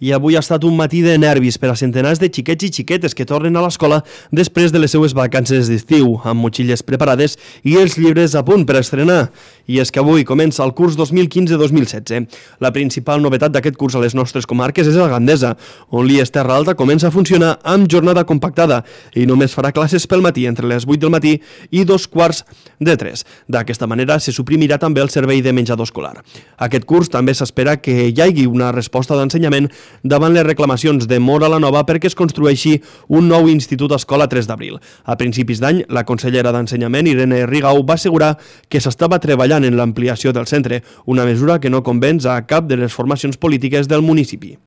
I avui ha estat un matí de nervis per a centenars de xiquets i xiquetes que tornen a l'escola després de les seues vacances d'estiu, amb motxilles preparades i els llibres a punt per estrenar. I és que avui comença el curs 2015-2016. La principal novetat d'aquest curs a les nostres comarques és a Gandesa, on l'IES Terra Alta comença a funcionar amb jornada compactada i només farà classes pel matí entre les 8 del matí i 2:15. D'aquesta manera se suprimirà també el servei de menjador escolar. Aquest curs també s'espera que hi hagi una resposta d'ensenyament davant les reclamacions de Móra la Nova perquè es construeixi un nou institut escola 3 d'abril. A principis d'any, la consellera d'Ensenyament, Irene Rigau, va assegurar que s'estava treballant en l'ampliació del centre, una mesura que no convenç a cap de les formacions polítiques del municipi.